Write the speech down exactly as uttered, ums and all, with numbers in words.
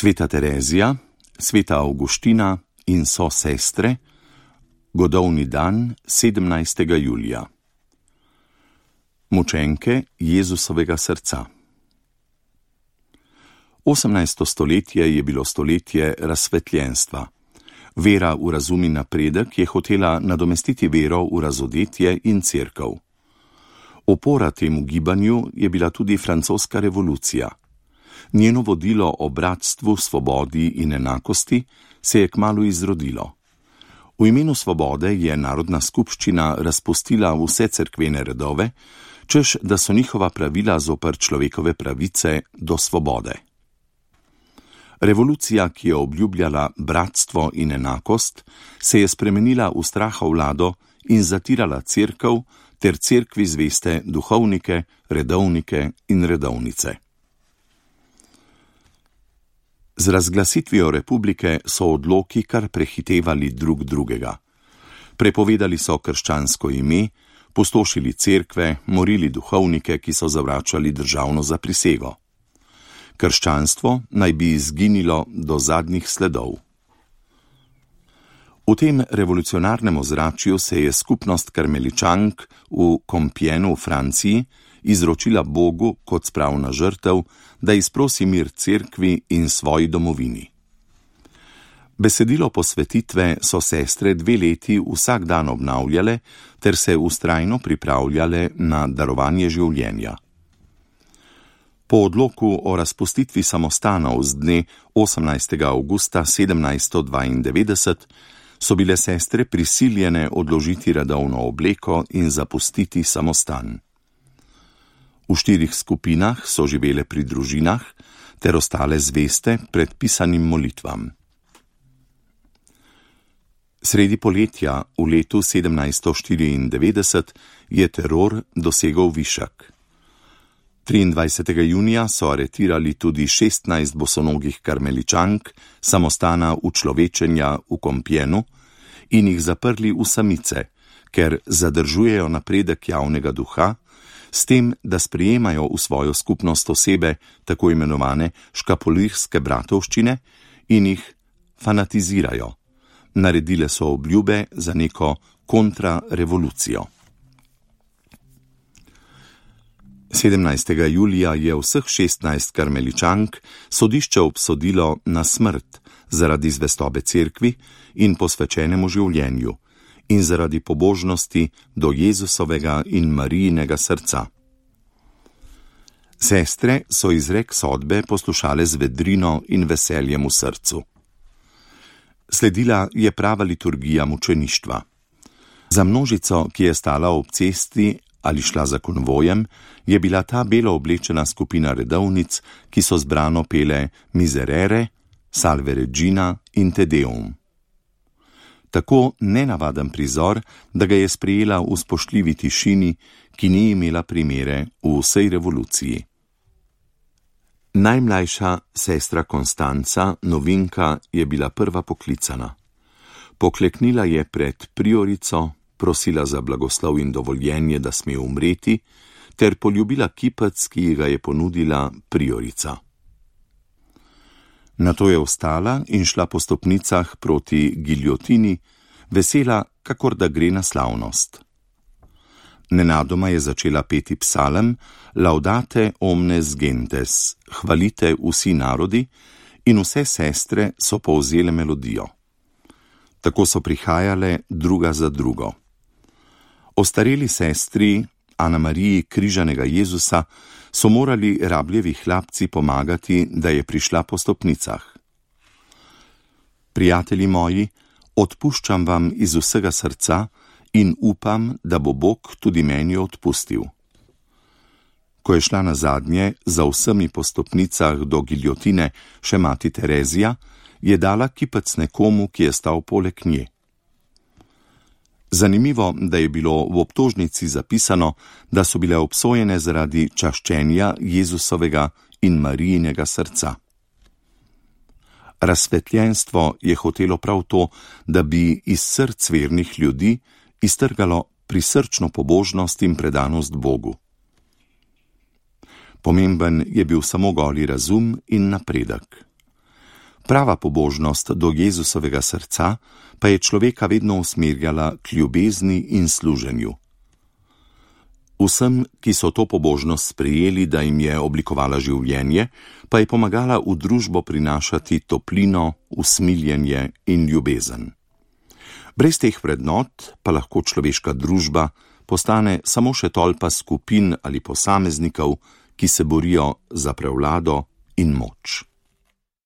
Sveta Terezija, sveta Avguština in so sestre, godovni dan sedemnajstega julija. Mučenke Jezusovega srca. osemnajsto stoletje je bilo stoletje razsvetljenstva. Vera v razum in napredek je hotela nadomestiti vero v razodetje in cerkev. Opora temu gibanju je bila tudi francoska revolucija. Njeno vodilo o bratstvu, svobodi in enakosti se je kmalu izrodilo. V imenu svobode je Narodna skupščina razpustila vse cerkvene redove, češ da so njihova pravila zoper človekove pravice do svobode. Revolucija, ki je obljubljala bratstvo in enakost, se je spremenila v strahovlado in zatirala cerkev ter cerkvi zveste duhovnike, redovnike in redovnice. Z razglasitvijo republike so odloki kar prehitevali drug drugega. Prepovedali so krščansko ime, pustošili cerkve, morili duhovnike, ki so zavračali državno zaprisego. Krščanstvo naj bi izginilo do zadnjih sledov. V tem revolucionarnem ozračju se je skupnost karmeličank v Compiègnu v Franciji izročila Bogu kot spravna žrtev, da izprosi mir cerkvi in svoji domovini. Besedilo posvetitve so sestre dve leti vsak dan obnavljale ter se vztrajno pripravljale na darovanje življenja. Po odloku o razpustitvi samostanov z dne osemnajstega avgusta sedemnajststo dvaindevetdeset so bile sestre prisiljene odložiti redovno obleko in zapustiti samostan. V štirih skupinah so živele pri družinah ter ostale zveste predpisanim molitvam. Sredi poletja v letu sedemnajststo štiriindevetdeset je teror dosegel višek. triindvajsetega junija so aretirali tudi šestnajst bosonogih karmeličank samostana Učlovečenja v Compiègnu in jih zaprli v samice, ker zadržujejo napredek javnega duha, s tem, da sprejemajo v svojo skupnost osebe tako imenovane škapolirske bratovščine in jih fanatizirajo. Naredile so obljube za neko kontrarevolucijo. sedemnajstega julija je vseh šestnajst karmeličank sodišče obsodilo na smrt zaradi zvestobe cerkvi in posvečenemu življenju in zaradi pobožnosti do Jezusovega in Marijinega srca. Sestre so izrek sodbe poslušale z vedrino in veseljem v srcu. Sledila je prava liturgija mučeništva. Za množico, ki je stala ob cesti ali šla za konvojem, je bila ta belo oblečena skupina redovnic, ki so zbrano pele Miserere, Salve Regina in Te Deum. Tako nenavaden prizor, da ga je sprejela v spoštljivi tišini, ki ni imela primere v vsej revoluciji. Najmlajša sestra Konstanca, novinka, je bila prva poklicana. Pokleknila je pred priorico, prosila za blagoslov in dovoljenje, da sme umreti, ter poljubila kipec, ki ji ga je ponudila priorica. Nato je vstala in šla po stopnicah proti giljotini, vesela, kakor da gre na slavnost. Nenadoma je začela peti psalem Laudate omnes gentes, hvalite vsi narodi, in vse sestre so povzele melodijo. Tako so prihajale druga za drugo. Ostareli sestri Ana Mariji križanega Jezusa so morali rabljevi hlapci pomagati, da je prišla po stopnicah. Prijatelji moji, odpuščam vam iz vsega srca in upam, da bo Bog tudi meni odpustil. Ko je šla nazadnje za vsemi po stopnicah do giljotine še mati Terezija, je dala kipec nekomu, ki je stal poleg nje. Zanimivo, da je bilo v obtožnici zapisano, da so bile obsojene zaradi čaščenja Jezusovega in Marijinega srca. Razsvetljenstvo je hotelo prav to, da bi iz src vernih ljudi iztrgalo prisrčno pobožnost in predanost Bogu. Pomemben je bil samo goli razum in napredek. Prava pobožnost do Jezusovega srca pa je človeka vedno usmerjala k ljubezni in služenju. Vsem, ki so to pobožnost sprejeli, da jim je oblikovala življenje, pa je pomagala v družbo prinašati toplino, usmiljenje in ljubezen. Brez teh vrednot pa lahko človeška družba postane samo še tolpa skupin ali posameznikov, ki se borijo za prevlado in moč.